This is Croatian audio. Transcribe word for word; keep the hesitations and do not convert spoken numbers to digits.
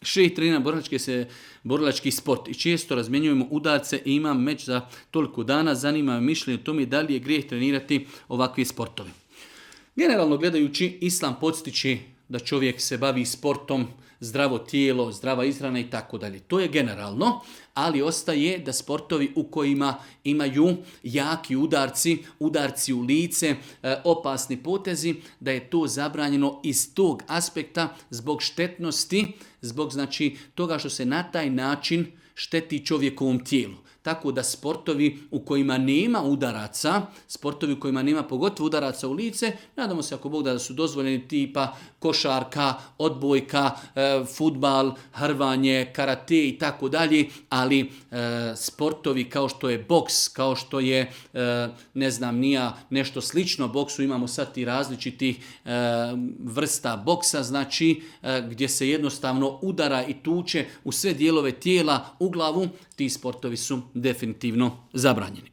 šejh trenira borilački, se, borilački sport i često razmjenjujemo udarce i imam meč za toliko dana. Zanima me mišljenje o tome da li je grijeh trenirati ovakve sportove. Generalno gledajući, islam podstiče da čovjek se bavi sportom, zdravo tijelo, zdrava ishrana i tako dalje. To je generalno, ali ostaje da sportovi u kojima imaju jaki udarci, udarci u lice, opasni potezi, da je to zabranjeno iz tog aspekta zbog štetnosti, zbog znači toga što se na taj način šteti čovjekovom tijelu. Tako da sportovi u kojima nema udaraca, sportovi u kojima nema pogotovo udaraca u lice, nadamo se ako Bog da su dozvoljeni tipa košarka, odbojka, e, fudbal, hrvanje, karate i tako dalje, ali e, sportovi kao što je boks, kao što je, e, ne znam, nija nešto slično boksu, imamo sad i različitih e, vrsta boksa, znači e, gdje se jednostavno udara i tuče u sve dijelove tijela, u glavu, ti sportovi su definitivno zabranjeni.